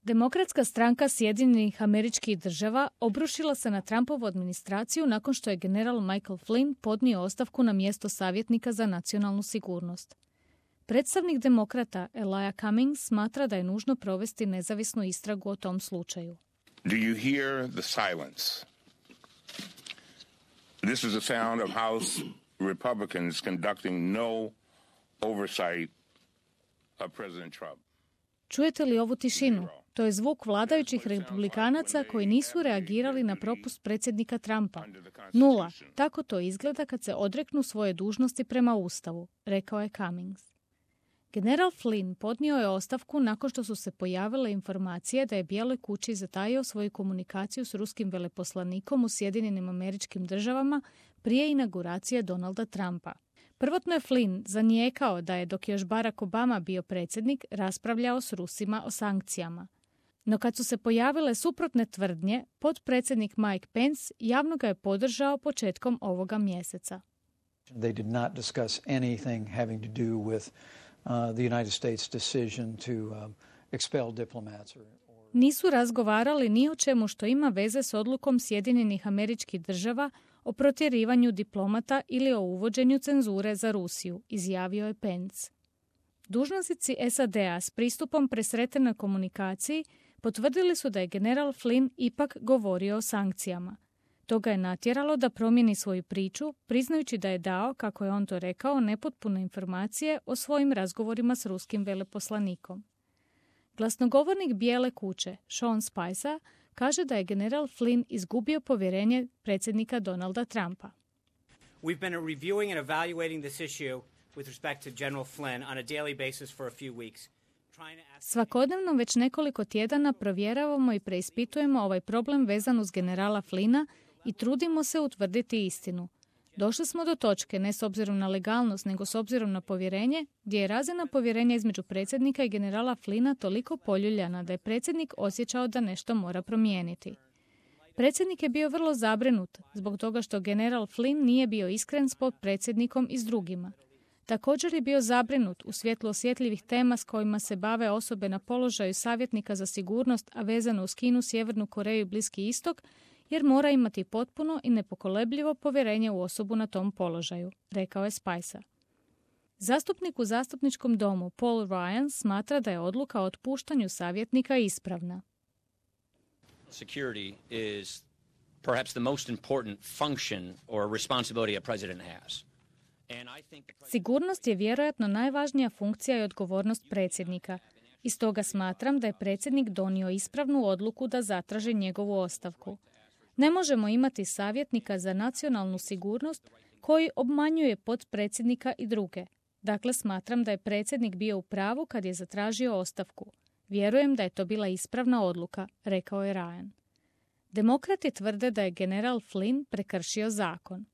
Demokratska stranka Sjedinjenih Američkih Država obrušila se na Trumpovu administraciju nakon što je general Michael Flynn podnio ostavku na mjesto savjetnika za nacionalnu sigurnost. Predstavnik demokrata Elijah Cummings smatra da je nužno provesti nezavisnu istragu o tom slučaju. Do you hear the silence? This is the sound of House Republicans conducting no oversight of President Trump. Čujete li ovu tišinu? To je zvuk vladajućih republikanaca koji nisu reagirali na propust predsjednika Trumpa. 0. Tako to izgleda kad se odreknu svoje dužnosti prema Ustavu, rekao je Cummings. General Flynn podnio je ostavku nakon što su se pojavile informacije da je Bijeloj kući zatajio svoju komunikaciju s ruskim veleposlanikom u Sjedinjenim Američkim Državama prije inauguracije Donalda Trumpa. Prvotno je Flynn zanijekao da je, dok je još Barack Obama bio predsjednik, raspravljao s Rusima o sankcijama. No kad su se pojavile suprotne tvrdnje, potpredsjednik Mike Pence javno ga je podržao početkom ovoga mjeseca. They did not discuss anything having to do with the United States decision to expel diplomats Nisu razgovarali ni o čemu što ima veze s odlukom Sjedinjenih Američkih Država o protjerivanju diplomata ili o uvođenju cenzure za Rusiju, izjavio je Pence. Dužnosnici SAD-a s pristupom presretenoj komunikaciji potvrdili su da je general Flynn ipak govorio o sankcijama. To ga je natjeralo da promijeni svoju priču, priznajući da je dao, kako je on to rekao, nepotpune informacije o svojim razgovorima s ruskim veleposlanikom. Glasnogovornik Bijele kuće, Sean Spicer, kaže da je general Flynn izgubio povjerenje predsjednika Donalda Trumpa. We've been reviewing and evaluating this issue with respect to General Flynn on a daily basis for a few weeks. Svakodnevno već nekoliko tjedana provjeravamo i preispitujemo ovaj problem vezan uz generala Flynna i trudimo se utvrditi istinu. Došli smo do točke, ne s obzirom na legalnost, nego s obzirom na povjerenje, gdje je razina povjerenja između predsjednika i generala Flynna toliko poljuljana da je predsjednik osjećao da nešto mora promijeniti. Predsjednik je bio vrlo zabrinut zbog toga što general Flynn nije bio iskren s potpredsjednikom i s drugima. Također je bio zabrinut u svjetlu osjetljivih tema s kojima se bave osobe na položaju savjetnika za sigurnost, a vezano uz Kinu, Sjevernu Koreju i Bliski istok, jer mora imati potpuno i nepokolebljivo povjerenje u osobu na tom položaju, rekao je Spicer. Zastupnik u zastupničkom domu Paul Ryan smatra da je odluka o otpuštanju savjetnika ispravna. Security is perhaps the most important function or responsibility a president has. Sigurnost je vjerojatno najvažnija funkcija i odgovornost predsjednika. I stoga smatram da je predsjednik donio ispravnu odluku da zatraži njegovu ostavku. Ne možemo imati savjetnika za nacionalnu sigurnost koji obmanjuje potpredsjednika i druge. Dakle, smatram da je predsjednik bio u pravu kad je zatražio ostavku. Vjerujem da je to bila ispravna odluka, rekao je Ryan. Demokrati tvrde da je general Flynn prekršio zakon.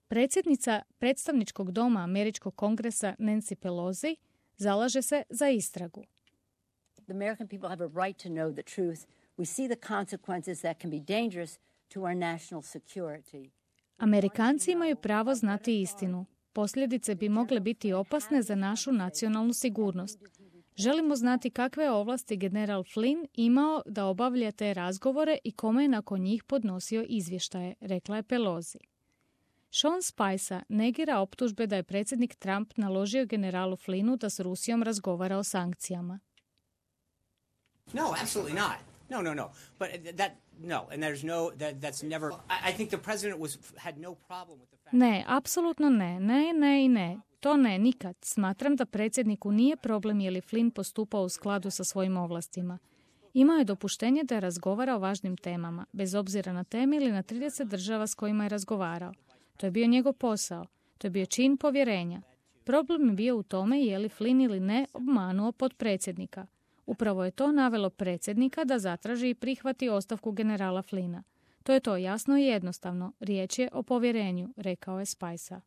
Predsjednica predstavničkog doma Američkog kongresa Nancy Pelosi zalaže se za istragu. The American people have a right to know the truth. We see the consequences that can be dangerous to our national security. Amerikanci imaju pravo znati istinu. Posljedice bi mogle biti opasne za našu nacionalnu sigurnost. Želimo znati kakve je ovlasti general Flynn imao da obavlja te razgovore i kome je nakon njih podnosio izvještaje, rekla je Pelosi. Sean Spicer negira optužbe da je predsjednik Trump naložio generalu Flynnu da s Rusijom razgovara o sankcijama. No, absolutely not. No. But and there's no, that's never, I think the president had no problem with the fact. Ne, apsolutno ne. Ne. To ne, nikad. Smatram da predsjedniku nije problem je li Flynn postupao u skladu sa svojim ovlastima. Imao je dopuštenje da razgovara o važnim temama, bez obzira na teme ili na 30 država s kojima je razgovarao. To je bio njegov posao. To je bio čin povjerenja. Problem je bio u tome je li Flynn ili ne obmanuo potpredsjednika. Upravo je to navelo predsjednika da zatraži i prihvati ostavku generala Flynna. To je to jasno i jednostavno. Riječ je o povjerenju, rekao je Spicer.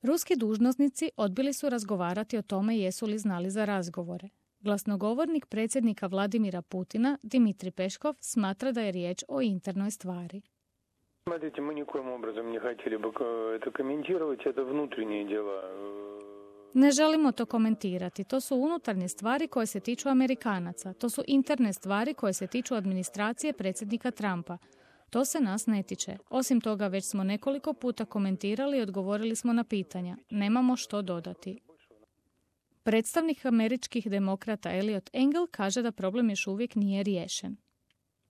Ruski dužnosnici odbili su razgovarati o tome jesu li znali za razgovore. Glasnogovornik predsjednika Vladimira Putina, Dmitrij Peskov, smatra da je riječ o internoj stvari. Смотрите, мы никоим образом не хотели бы это комментировать, это внутренние дела. Ne želimo to komentirati. To su unutarnje stvari koje se tiču Amerikanaca. To su interne stvari koje se tiču administracije predsjednika Trumpa. To se nas ne tiče. Osim toga, već smo nekoliko puta komentirali i odgovorili smo na pitanja. Nemamo što dodati. Predstavnik američkih demokrata Eliot Engel kaže da problem još uvijek nije riješen.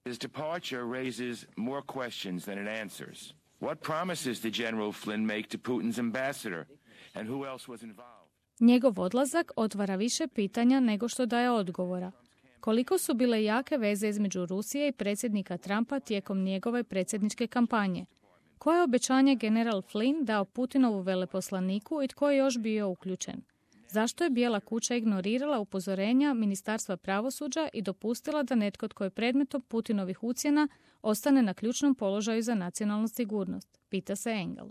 His departure raises more questions than it answers. What promises did General Flynn make to Putin's ambassador? And who else was involved? Njegov odlazak otvara više pitanja nego što daje odgovora. Koliko su bile jake veze između Rusije i predsjednika Trumpa tijekom njegove predsjedničke kampanje? Koje je obećanje general Flynn dao Putinovu veleposlaniku i tko je još bio uključen? Zašto je Bijela kuća ignorirala upozorenja Ministarstva pravosuđa i dopustila da netko tko je predmetom Putinovih ucjena ostane na ključnom položaju za nacionalnu sigurnost? Pita se Engel.